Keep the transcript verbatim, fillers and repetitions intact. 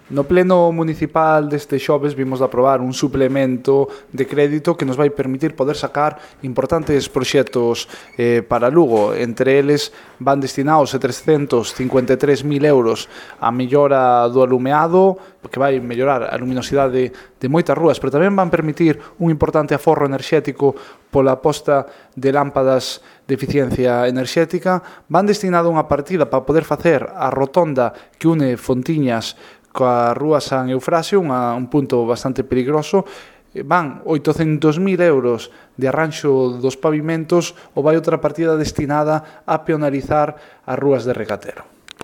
No pleno municipal deste xoves vimos de aprobar un suplemento de crédito que nos vai permitir poder sacar importantes proxectos eh, para Lugo. Entre eles van destinados a trescentos cincuenta e tres mil euros a mellora do alumeado, que vai mellorar a luminosidade de moitas rúas, pero tamén van permitir un importante aforro enerxético pola posta de lámpadas de eficiencia enerxética. Van destinado unha partida para poder facer a rotonda que une Fontiñas coa rúa San Eufrasio, unha, un punto bastante peligroso. Van oitocentos mil euros de arranxo dos pavimentos ou vai outra partida destinada a peonalizar as rúas de Recatero.